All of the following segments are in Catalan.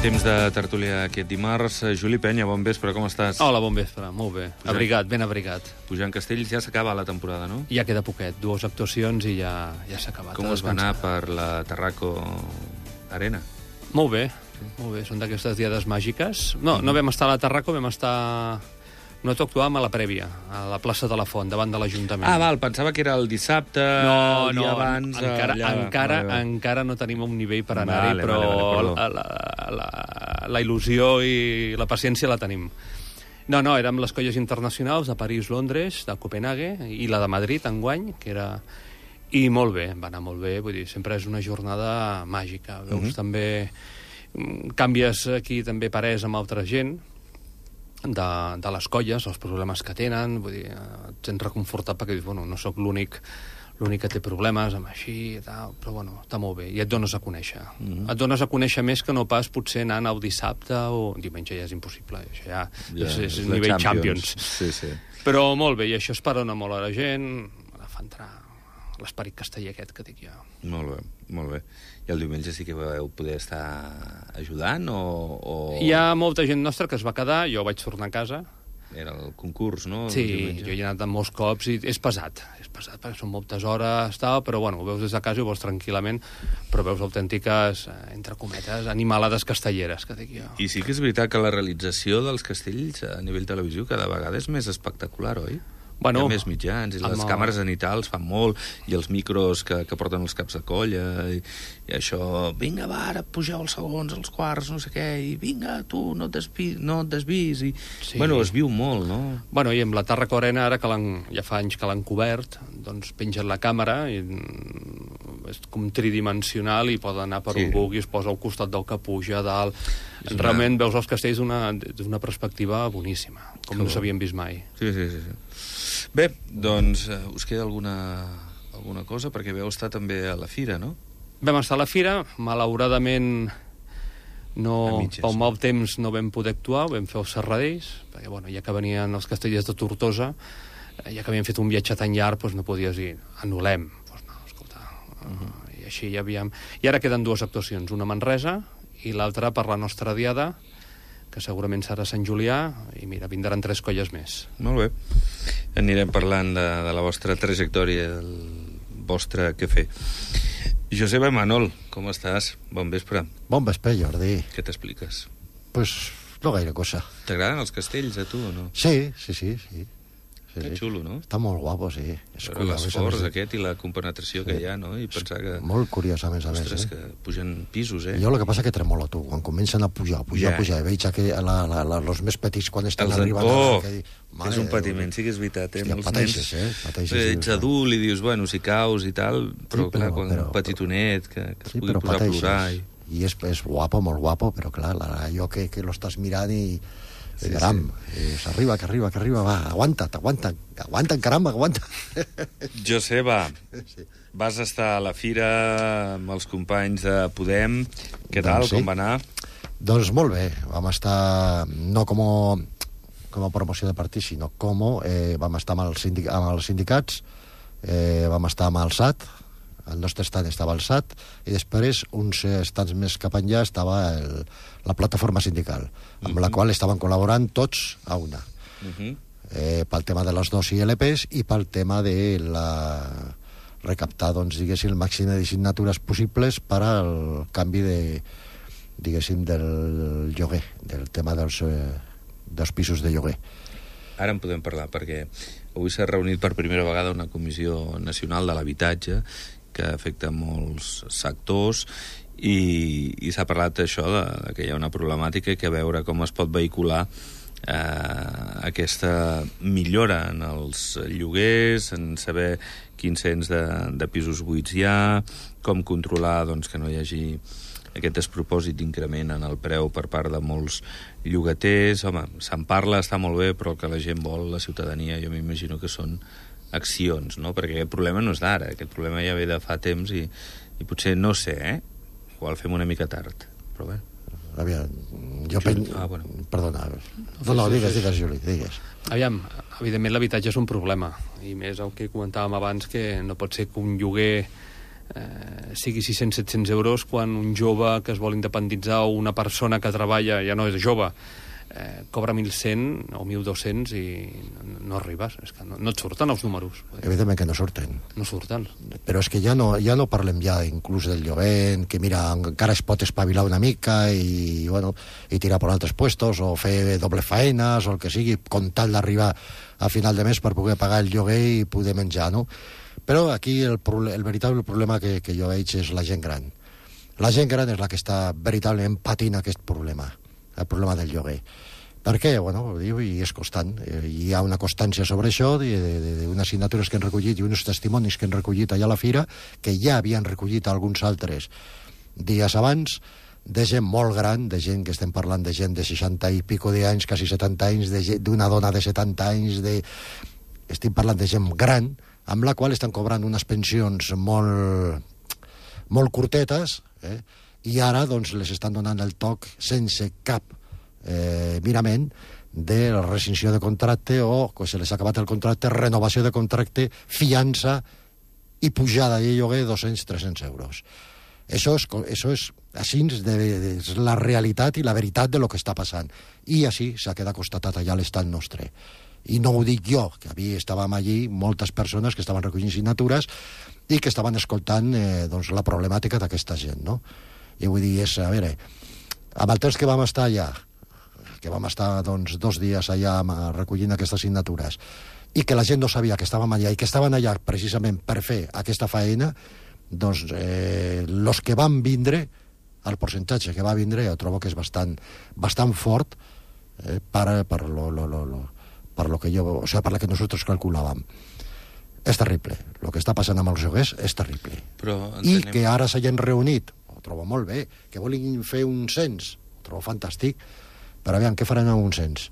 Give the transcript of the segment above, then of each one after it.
Temps de tertúlia aquest dimarts. Juli Penya, bon vespre, com estàs? Hola, bon vespre, molt bé. Abrigat, ben abrigat. Pujant Castells, ja s'acaba la temporada, no? Ja queda poquet, 2 actuacions i ja s'ha acabat. Com us va anar per la Tarraco Arena? Molt bé, molt bé. Són d'aquestes diades màgiques. No vam estar a la Tarraco, vam estar... Nosaltres actuàvem a la prèvia, a la plaça de la Font, davant de l'Ajuntament. Ah, val, pensava que era el dissabte, el dia abans... Encara no tenim un nivell per anar-hi, però la il·lusió i la paciència la tenim. No, érem les colles internacionals de París, Londres, de Copenhague i la de Madrid, enguany, que era... I molt bé, va anar molt bé, vull dir, sempre és una jornada màgica. Veus també... Canvies aquí també parers amb altra gent, de les colles, els problemes que tenen, vull dir, et sents reconfortat perquè dius, bueno, no sóc l'únic que té problemes amb així i tal, però bueno, està molt bé, i et dones a conèixer. Et dones a conèixer més que no pas potser anant el dissabte o diumenge ja és impossible, això ja és nivell Champions. Sí. Però molt bé, i això esperona molt a la gent, la fa entrar l'esperit casteller aquest que dic jo. Molt bé. I el diumenge sí que vau poder estar ajudant o... Hi ha molta gent nostra que es va quedar, jo vaig tornar a casa. Era el concurs, no? Sí, jo hi he anat molts cops i és pesat perquè són moltes hores, però bueno, ho veus des de casa i ho veus tranquil·lament, però veus autèntiques, entre cometes, animalades castelleres, que dic jo. I sí que és veritat que la realització dels castells a nivell televisiu cada vegada és més espectacular, oi? Bueno, hi ha més mitjans, i les càmeres zenitals fan molt, i els micros que porten els caps de colla, i això, vinga, va, ara pugeu els segons, els quarts, no sé què, i vinga, tu, no et desvis, i... Sí. Bueno, es viu molt, no? Bueno, i amb la Tarraco Arena, ara que ja fa anys que l'han cobert, doncs pengen la càmera, i és com tridimensional, i pot anar per on vulgui, es posa al costat del que puja, a dalt... Realment veus els castells d'una perspectiva boníssima, com no s'havien vist mai. Sí. Bé, doncs us queda alguna cosa? Perquè vau estar també a la fira, no? Vam estar a la fira, malauradament pel mal temps no vam poder actuar, vam fer els Serradells, perquè bueno, ja que venien els castellers de Tortosa, ja que havíem fet un viatge tan llarg, doncs no podies dir, anul·lem. Doncs no, escolta, i així ja havíem... I ara queden 2 actuacions, una a Manresa i l'altra per la nostra diada, que segurament serà Sant Julià, i mira, vindran 3 colles més. Molt bé. Anirem parlant de la vostra trajectòria, del vostre què fer. Joseba Manol, com estàs? Bon vespre. Bon vespre, Jordi. Què t'expliques? Pues no gaire cosa. T'agraden els castells, a tu, o no? Sí. Que xulo, no? Està molt guapo, sí. Però l'esforç aquest i la compenetració que hi ha, no? I pensar que... Molt curiós, a més. Ostres, que pugen pisos, Jo el que passa que tremolo, tu. Quan comencen a pujar, i veig que els més petits quan estan arribant... És un patiment, sí que és veritat. Pateixes. Ets adult i dius, bueno, si caus i tal, però clar, quan un petitonet que es pugui posar a plorar... I és guapo, molt guapo, però clar, allò que lo estàs mirant i... caram, arriba, va, aguanta, caramba, aguanta. Joseba, vas estar a la fira amb els companys de Podem, què tal, com va anar? Doncs molt bé, vam estar, no com a promoció de partit, sinó vam estar amb els sindicats, vam estar amb el SAT, el nostre estat estava al SAT, i després, uns estats més cap enllà, estava la plataforma sindical, amb la qual estaven col·laborant tots a una. Pel tema de les 2 ILPs i pel tema de recaptar, doncs, diguéssim, el màxim de signatures possibles per al canvi diguéssim, del lloguer, del tema dels pisos de lloguer. Ara en podem parlar, perquè avui s'ha reunit per primera vegada una comissió nacional de l'habitatge que afecta molts sectors i s'ha parlat d'això, que hi ha una problemàtica i que a veure com es pot vehicular aquesta millora en els lloguers, en saber quins cents de pisos buits hi ha, com controlar que no hi hagi aquest despropòsit d'increment en el preu per part de molts llogaters. Home, se'n parla, està molt bé, però el que la gent vol, la ciutadania, jo m'imagino que són accions, no? Perquè aquest problema no és d'ara, aquest problema ja ve de fa temps i potser, no sé, igual fem una mica tard, però bé. Aviam, jo Perdona. No, digues, Juli, digues. Aviam, evidentment l'habitatge és un problema, i més el que comentàvem abans, que no pot ser que un lloguer sigui 600-700 euros, quan un jove que es vol independitzar o una persona que treballa, ja no és jove, cobra 1.100 o 1.200 i no arribes, és que no et surten els números. Evidentment que no surten. No surten. Però és que ja no parlem ja inclús del lloguer, que mira, encara es pot espavilar una mica i tirar per altres puestos o fer doble faenes o el que sigui, con tal d'arribar a final de mes per poder pagar el lloguer i poder menjar, no? Però aquí el veritable problema que jo veig és la gent gran. La gent gran és la que està veritablement patint aquest problema, el problema del lloguer. Per què? Bueno, i és constant. Hi ha una constància sobre això, d'unes signatures que han recollit i uns testimonis que han recollit allà a la fira, que ja havien recollit alguns altres dies abans, de gent molt gran, de gent que estem parlant de gent de 60 i pico d'anys, quasi 70 anys, d'una dona de 70 anys, estem parlant de gent gran, amb la qual estan cobrant unes pensions molt curtetes, i ara doncs, les estan donant el toc sense cap mirament de la rescissió de contracte o, que se les ha acabat el contracte, renovació de contracte, fiança i pujada de lloguer 200-300 euros. Això és així és la realitat i la veritat de lo que està passant. I així s'ha quedat constatat allà a l'estat nostre. I no ho dic jo, que estàvem allí moltes persones que estaven recollint signatures i que estaven escoltant doncs, la problemàtica d'aquesta gent, no? I vull dir, a veure, amb el temps que vam estar allà, que vam estar doncs, 2 dies allà recollint aquestes signatures, i que la gent no sabia que estàvem allà i que estaven allà precisament per fer aquesta faena, doncs els que van vindre, el percentatge que va vindre, jo trobo que és bastant fort per lo que jo, o sea, per la que nosotros calculàvem. És terrible. El que està passant amb els lloguers és terrible. I que ara s'hagin reunit, ho trobo molt bé, que vulguin fer un cens, ho trobo fantàstic, però aviam, què faran amb un cens?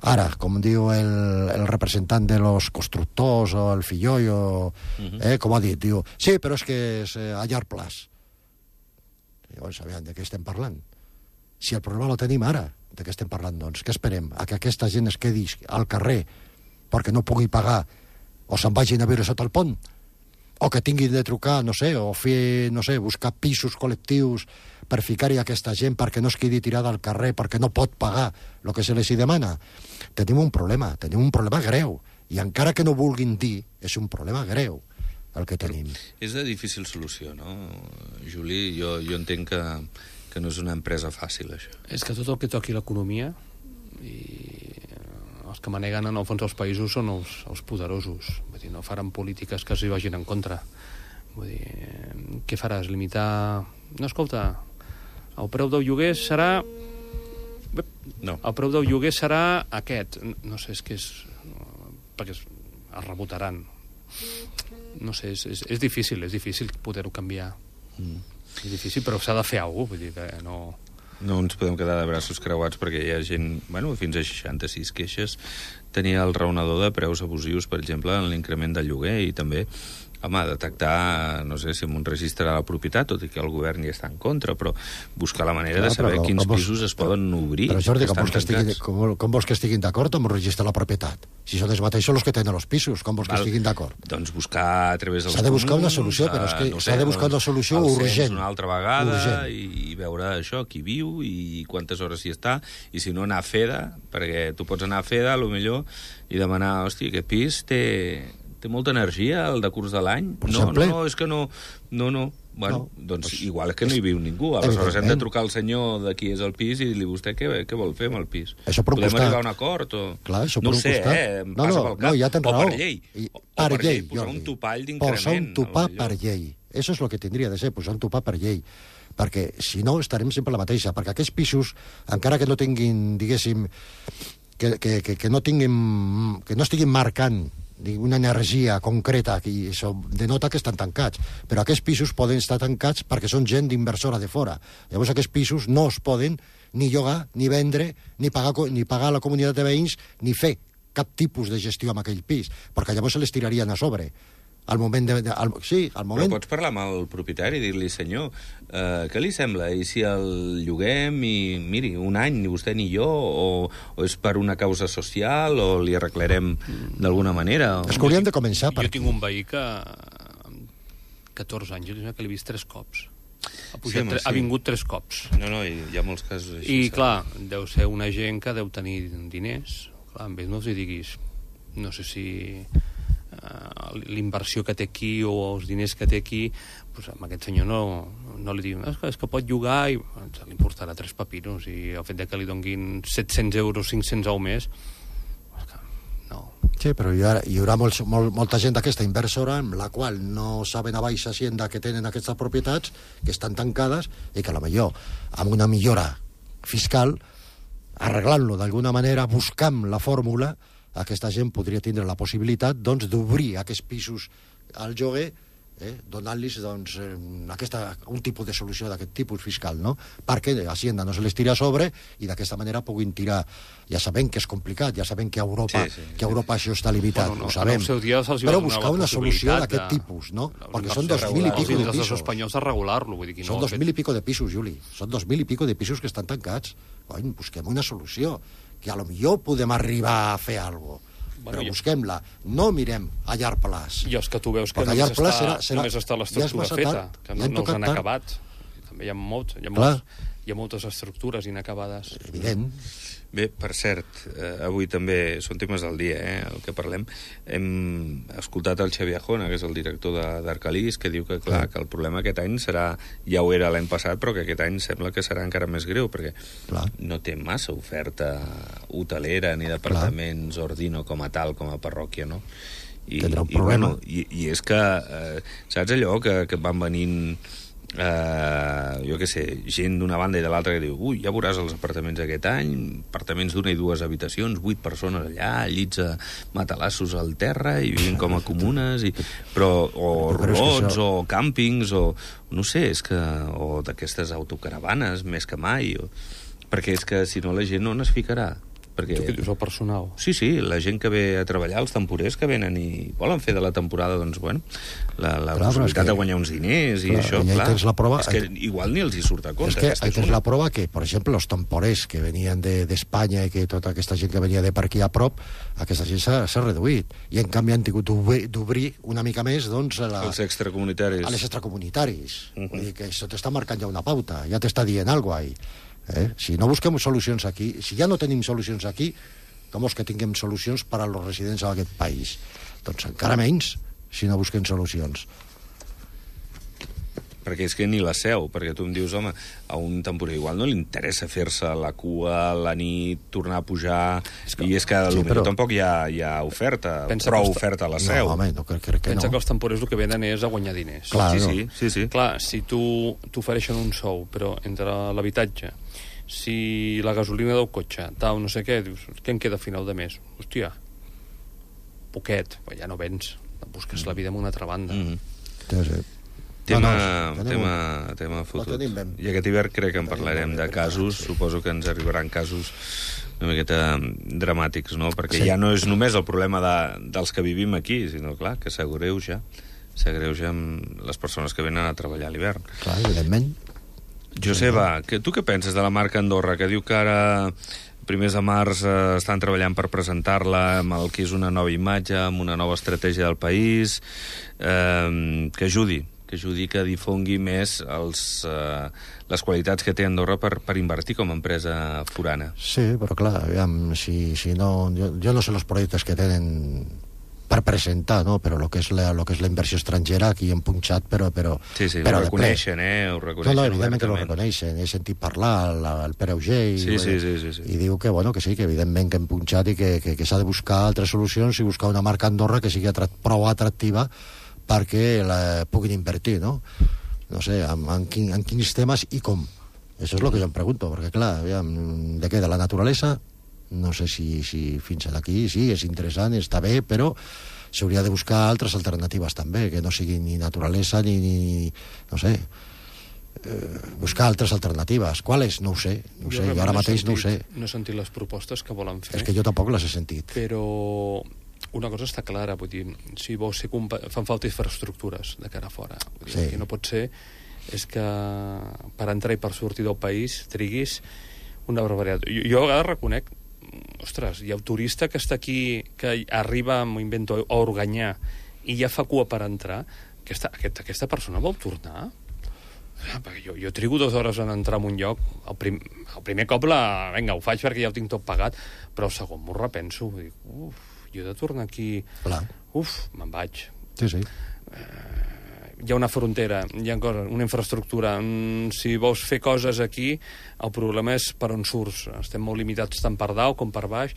Ara, com diu el representant de los constructors o el Fillollo, com ha dit, diu, sí, però és que és a llarg plaç. Llavors, aviam, de què estem parlant? Si el problema lo tenim ara, de què estem parlant, doncs? Què esperem? A que aquesta gent es quedi al carrer perquè no pugui pagar o se'n vagin a viure sota el pont? O que tinguin de trucar, no sé, o fer, no sé, buscar pisos col·lectius per ficar-hi aquesta gent perquè no es quedi tirada al carrer, perquè no pot pagar el que se les hi demana. Tenim un problema greu. I encara que no vulguin dir, és un problema greu el que tenim. És de difícil solució, no, Juli? Jo entenc que no és una empresa fàcil, això. És que tot el que toqui l'economia, i els que maneguen en el fons els països són els poderosos. Vull dir, no faran polítiques que s'hi vagin en contra. Vull dir, què faràs? Limitar... No, escolta, el preu del lloguer serà... No. El preu del lloguer serà aquest. No sé, és que és... perquè es rebotaran. No sé, és difícil poder-ho canviar. És difícil, però s'ha de fer alguna cosa. Vull dir que no... No ens podem quedar de braços creuats perquè hi ha gent, fins a 66 queixes. Tenia el raonador de preus abusius, per exemple, en l'increment del lloguer i també, detectar, no sé si en un registre de la propietat, tot i que el govern hi està en contra, però buscar la manera de saber quins pisos es poden obrir. Però Jordi, com vols que estiguin d'acord amb el registre de la propietat? Si són els mateixos els que tenen els pisos, com vols que estiguin d'acord? Doncs buscar a través dels comuns... S'ha de buscar una solució, però és que s'ha de buscar una solució urgent. Una altra vegada i veure això, qui viu i quantes hores hi està, i si no anar a FEDA, perquè tu pots anar a FEDA, potser, i demanar, hòstia, aquest pis té molta energia al decurs de l'any? No, és que no. Bueno, doncs igual és que no hi viu ningú. Aleshores hem de trucar al senyor de qui és el pis i dir-li vostè què vol fer amb el pis. Podem arribar a un acord? Clar, això no ho sé, em passa pel cap. Ja tens raó. O per llei, posar un topall d'increment. Posar un topar per llei. Això és el que tindria de ser, posar un topar per llei. Perquè, si no, estarem sempre la mateixa. Perquè aquests pisos, encara que no tinguin, diguéssim, que no estiguin marcant una energia concreta, que això denota que estan tancats, però aquests pisos poden estar tancats perquè són gent d'inversora de fora. Llavors aquests pisos no es poden ni llogar, ni vendre, ni pagar a la comunitat de veïns, ni fer cap tipus de gestió amb aquell pis, perquè llavors se les tirarien a sobre. Al moment Però pots parlar amb el propietari i dir-li, senyor, què li sembla? I si el lloguem i, miri, un any, ni vostè ni jo, o és per una causa social, o li arreglarem d'alguna manera? És que hauríem de començar per... Jo tinc un veí que 14 anys, que l'he vist 3 cops. Ha Sí. vingut 3 cops. No, hi ha molts casos així. I, clar, deu ser una gent que deu tenir diners. Clar, amb ells no els diguis, no sé si l'inversió que té aquí o els diners que té aquí, doncs amb aquest senyor no li diuen és que pot llogar i li importarà 3 papinos, i el fet que li donguin 700 euros, 500 al mes, no. Sí, però hi haurà molta gent d'aquesta inversora amb la qual no saben a baixa Hacienda que tenen aquestes propietats, que estan tancades, i que a la millor amb una millora fiscal, arreglant-lo d'alguna manera, buscant la fórmula, aquesta gent podria tindre la possibilitat doncs, d'obrir aquests pisos al lloguer, donant-los doncs, un tipus de solució d'aquest tipus fiscal, no? Perquè Hacienda no se les tira a sobre i d'aquesta manera puguin tirar. Ja sabem que és complicat, ja sabem que a Europa, això està limitat, ho sabem, però buscar una solució d'aquest tipus, no? Perquè són 2.000 i pico de pisos. Espanyols a regular-lo, vull dir que no. Són 2.000 i pico de pisos, Juli. Són 2.000 i pico de pisos que estan tancats. Cony, busquem una solució, que a lo millor podem arribar a fer alguna cosa. Però busquem-la, no mirem a llarg plaç. I els que tu veus que només està l'estructura feta, que no els han acabat. També hi ha moltes estructures inacabades. Evident. Bé, per cert, avui també són temes del dia, el que parlem. Hem escoltat el Xavier Jona, que és el director d'Arcalís, que diu que, clar, que el problema aquest any serà, ja ho era l'any passat, però que aquest any sembla que serà encara més greu, perquè no té massa oferta hotelera ni d'apartaments Ordino com a tal, com a parròquia, no? Tindrà un problema. I és que, saps allò que van venint jo què sé, gent d'una banda i de l'altra que diu, ui, ja veuràs els apartaments aquest any, apartaments d'una i 2 habitacions, 8 persones allà, llits a matalassos al terra i vivint com a comunes, o robots, o càmpings, o no sé, o d'aquestes autocaravanes més que mai, perquè és que si no la gent no n'es ficarà. Perquè... Tu que dius el personal. Sí, la gent que ve a treballar, els temporers que venen i volen fer de la temporada, doncs, bueno, la possibilitat de guanyar uns diners i això, clar, la prova, és que igual ni els hi surt a compte. És que tens la prova que, per exemple, els temporers que venien d'Espanya i que tota aquesta gent que venia de per aquí a prop, aquesta gent s'ha reduït. I, en canvi, han tingut d'obrir una mica més, doncs, els extracomunitaris. A les extracomunitaris. Vull dir que això t'està marcant ja una pauta, ja t'està dient alguna cosa. Si no busquem solucions aquí, si ja no tenim solucions aquí, com és que tinguem solucions per als residents d'aquest país? Doncs encara menys si no busquem solucions. Perquè és que ni la seu, perquè tu em dius, home, a un temporer igual no li interessa fer-se la cua, la nit, tornar a pujar, i és que potser tampoc hi ha oferta, prou oferta a la seu. No, home, no crec que pensa que els temporers el que venen és a guanyar diners. Clar, sí. Clar, si t'ofereixen un sou, però entre l'habitatge, si la gasolina del cotxe, tal, no sé què, dius, què em queda a final de mes? Hòstia, poquet, però ja no vens, busques la vida en una altra banda. Tema fotut. I aquest hivern crec que en parlarem de casos, suposo que ens arribaran casos una miqueta dramàtics, no? Perquè ja no és només el problema dels que vivim aquí, sinó, clar, que s'agreuja amb les persones que venen a treballar a l'hivern. Clar, evidentment. Joseba, tu què penses de la marca Andorra, que diu que ara, primers de març, estan treballant per presentar-la amb el que és una nova imatge, amb una nova estratègia del país, que ajudi, que difongui més les qualitats que té Andorra per invertir com a empresa forana? Sí, però clar, aviam, si no... Jo no sé els projectes que tenen per presentar, no? Però el que és la inversió estrangera aquí hem punxat, però sí, ho reconeixen, ho reconeixen. No, evidentment que ho reconeixen. He sentit parlar el Pere Auger i diu que, bueno, que sí, que evidentment que hem punxat i que s'ha de buscar altres solucions i buscar una marca Andorra que sigui prou atractiva perquè la puguin invertir, no? No sé, en quins temes i com. Això és el que jo em pregunto, perquè, clar, de què? De la naturalesa? No sé si fins aquí sí, és interessant, està bé, però s'hauria de buscar altres alternatives també, que no siguin ni naturalesa ni no sé, buscar altres alternatives. Quales? No ho sé, jo ara mateix no ho sé. No he sentit les propostes que volen fer. És que jo tampoc les he sentit. Però una cosa està clara, vull dir, si vols ser fan falta infraestructures de cara a fora. Vull dir, que no pot ser és que per entrar i per sortir del país triguis una barbaritat. Jo a vegades reconec, ostres, hi ha un turista que està aquí, que arriba, m'ho invento, a Organyà, i ja fa cua per entrar, aquesta persona vol tornar? Perquè jo trigo 2 hores en entrar en un lloc. El primer cop vinga, ho faig perquè ja ho tinc tot pagat, però el segon m'ho repenso. Dic, jo he de tornar aquí... Clar. Me'n vaig. Sí. Hi ha una frontera, hi ha coses, una infraestructura. Si vols fer coses aquí, el problema és per on surts. Estem molt limitats tant per dalt com per baix.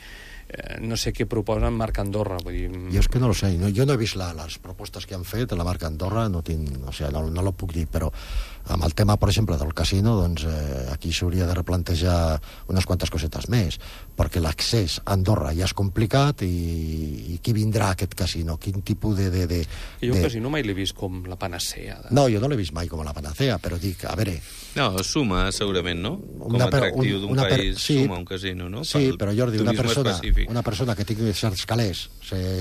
No sé què proposen marca Andorra. Vull dir... Jo és que no lo sé. Jo no he vist les propostes que han fet a la marca Andorra, no lo puc dir, però amb el tema, per exemple, del casino, doncs aquí s'hauria de replantejar unes quantes cosetes més, perquè l'accés a Andorra ja és complicat i qui vindrà a aquest casino? Quin tipus de... Jo el casino mai l'he vist com la panacea. No, jo no l'he vist mai com la panacea, però dic, a veure... No, suma, segurament, no? Com a atractiu d'un país, suma un casino, no? Sí, però Jordi, una persona que tingui certs calés,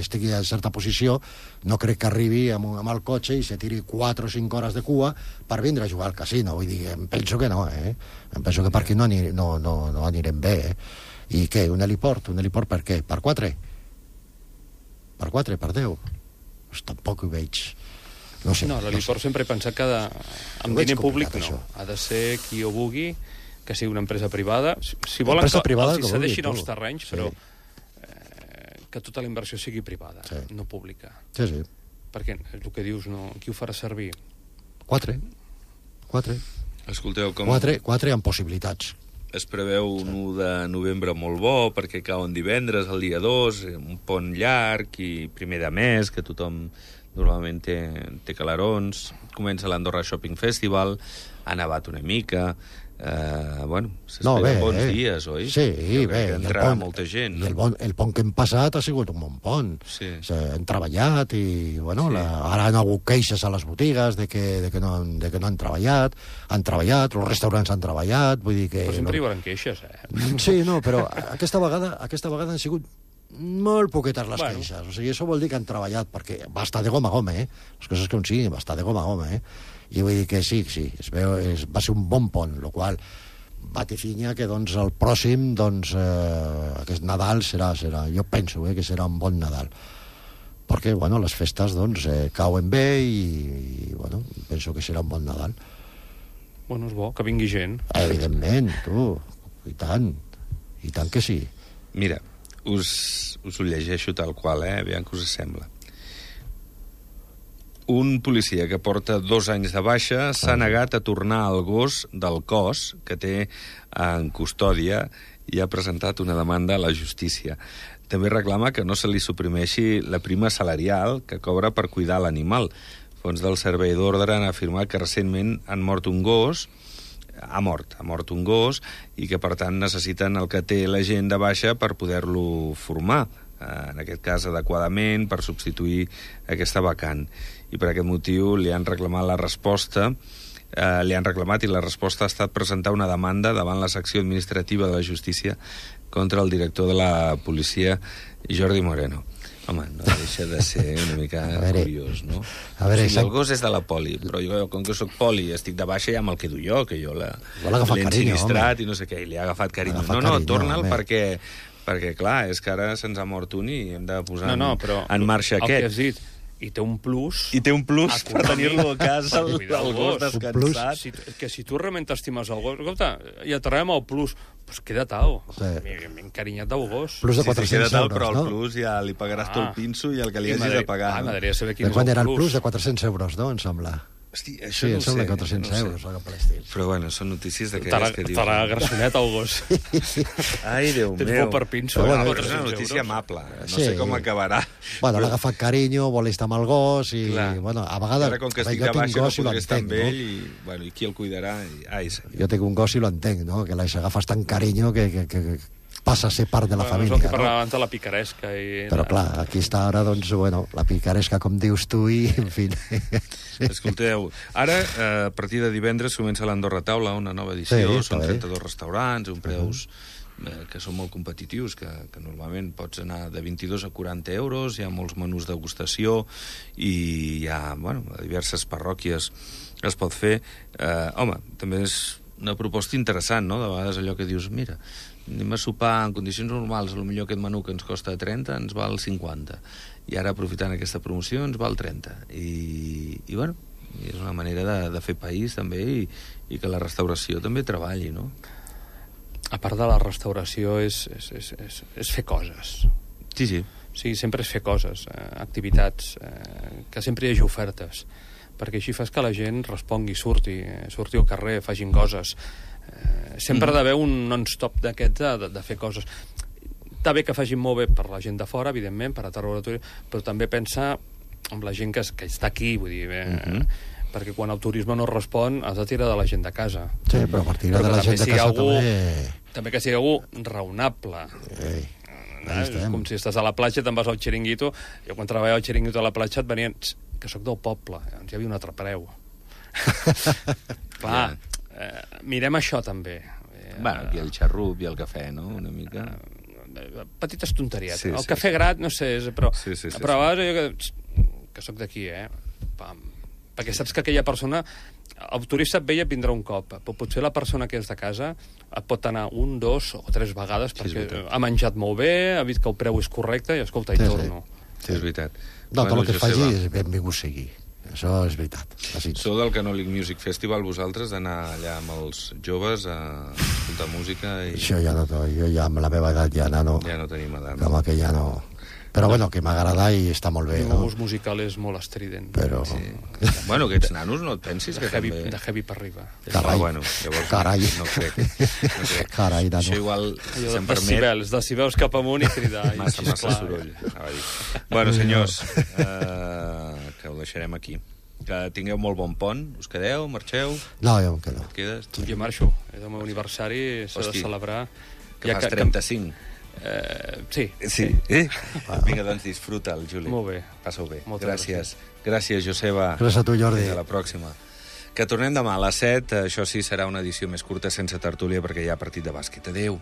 estigui en certa posició, no crec que arribi amb el cotxe i se tiri 4 o 5 hores de cua per vindre a jugar al casino. Vull dir, em penso que no, Em penso que per aquí no anirem bé, I què? Un heliport? Un heliport per què? Per 4? Per 4? Per 10? Pues tampoc ho veig. No sé. No, l'heliport sempre he pensat que amb diner públic no. Ha de ser qui ho vulgui, que sigui una empresa privada. Si volen que els cedeixin els terrenys, però que tota la inversió sigui privada, no pública. Sí. Perquè el que dius, qui ho farà servir? 4. Escolteu, com... 4 amb possibilitats. Es preveu un 1 de novembre molt bo, perquè cauen divendres, el dia 2, un pont llarg i primer de mes, que tothom normalment té calarons. Comença l'Andorra Shopping Festival, ha nevat una mica... s'esperen bons dies, oi? Sí, bé. Entrarà molta gent. I el pont que hem passat ha sigut un bon pont. Sí. Han treballat i, ara han hagut queixes a les botigues de que no han treballat, els restaurants han treballat, vull dir que... Però sempre hi haurà queixes, Sí, no, però aquesta vegada han sigut molt poquetes les queixes. O sigui, això vol dir que han treballat, perquè va estar de goma a goma, Les coses que siguin, va estar de goma a goma, I vull dir que sí, va ser un bon pont, el qual vatifinya que el pròxim, aquest Nadal serà, jo penso que serà un bon Nadal. Perquè, les festes, cauen bé i penso que serà un bon Nadal. És bo, que vingui gent. Evidentment, i tant que sí. Mira, us ho llegeixo tal qual, aviam què us sembla. Un policia que porta 2 anys de baixa s'ha negat a tornar al gos del cos que té en custòdia i ha presentat una demanda a la justícia. També reclama que no se li suprimeixi la prima salarial que cobra per cuidar l'animal. Fons del Servei d'Ordre han afirmat que recentment ha mort un gos i que per tant necessiten el que té la gent de baixa per poder-lo formar, en aquest cas adequadament, per substituir aquesta vacant. I per aquest motiu li han reclamat la resposta i la resposta ha estat presentar una demanda davant la secció administrativa de la justícia contra el director de la policia, Jordi Moreno. Home, no deixa de ser una mica curiós, no? El gos és de la poli, però jo, com que soc poli i estic de baixa, ja me'l quedo jo, que jo l'he ensinistrat i no sé què, i li ha agafat carinyo. No, torna'l perquè, clar, és que ara se'ns ha mort un i hem de posar en marxa aquest. El que has dit, i té un plus... I té un plus per tenir-lo a casa, el gos descansat. Que si tu realment t'estimes el gos... Escolta, i atraiem el plus... Pues queda tal. M'he encarinyat del gos. Plus de 400 euros, però el plus ja li pagaràs tot el pinso i el que li hagis de pagar. M'agradaria saber quin és el plus. Quan era el plus de 400 euros, no? Em sembla. Hosti, això no ho sé. Sí, em sembla 400 euros, o cap per l'estil. Però són notícies d'aquelles que dius... Te l'ha grassonet el gos. Ai, Déu meu. Tens por per pinso. És una notícia amable. No sé com acabarà. L'ha agafat carinyo, vol estar amb el gos i... a vegades... Ara, com que estic de baixa, no podré estar amb ell i qui el cuidarà? Jo tinc un gos i l'entenc, no? Que l'agafes tan carinyo que passa a ser part de la família. És el que parlava abans de la picaresca. Però clar, aquí està ara, la picaresca, com dius tu, i en fi... Escolteu, ara, a partir de divendres, comença l'Andorra Taula, una nova edició, són 32 restaurants, uns preus que són molt competitius, que normalment pots anar de 22 a 40 euros, hi ha molts menús de degustació i hi ha, a diverses parròquies es pot fer. Home, també és una proposta interessant, no? De vegades allò que dius, mira, anem a sopar en condicions normals, potser aquest menú que ens costa 30 ens val 50, i ara aprofitant aquesta promoció ens val 30, i bueno, és una manera de fer país també, i que la restauració també treballi, no? A part de la restauració és fer coses. Sí. Sí, sempre és fer coses, activitats, que sempre hi hagi ofertes, perquè així fas que la gent respongui, surti al carrer, facin coses. Sempre ha d'haver un non-stop d'aquest de fer coses. Està bé que facin molt bé per la gent de fora, evidentment, per atraure turisme, però també pensa en la gent que està aquí, vull dir, perquè quan el turisme no respon has de tirar de la gent de casa. Sí, però per tirar de la gent de casa també que sigui algú raonable. És com si estàs a la platja, te'n vas al xiringuito. Jo quan treballava al xiringuito a la platja et venien que sóc del poble, doncs hi havia un altre preu. Clar, mirem això també. Bueno, aquí el xarrup i el cafè, no? Una mica... Petites tonteries. El cafè grat, no sé, però a vegades jo que sóc d'aquí, perquè saps que aquella persona, el turista et ve i et vindrà un cop, però potser la persona que és de casa et pot anar 1, 2 o 3 vegades perquè ha menjat molt bé, ha vist que el preu és correcte i escolta, hi torno. Sí, és veritat. No, tot el que es faci és benvingut sigui. Això és veritat. Sou del Canòlic Music Festival, vosaltres, d'anar allà amb els joves a escoltar música? Això ja no, jo ja amb la meva edat ja no... Ja no tenim edat. Com que ja no... Però bueno, que m'agrada i està molt bé, no? El gust musical és molt estrident. Però... Bueno, aquests nanos no et pensis que també... De heavy per arriba. Carai. Bueno, llavors Carai. No crec. Carai, nano. Això igual, si se'm permet... Decibels cap amunt i cridar. Massa soroll. Bueno, senyors, que ho deixarem aquí. Que tingueu molt bon pont. Us quedeu? Marxeu? No, jo em quedo. Et quedes? Jo marxo. És el meu aniversari, s'ha de celebrar. Que fas 35. Sí. Vinga, doncs disfruta el Juli. Molt bé. Passa-ho bé. Gràcies. Gràcies, Joseba. Gràcies a tu, Jordi. Fins a la pròxima. Que tornem demà a les 7. Això sí, serà una edició més curta sense tertúlia perquè hi ha partit de bàsquet. Adéu.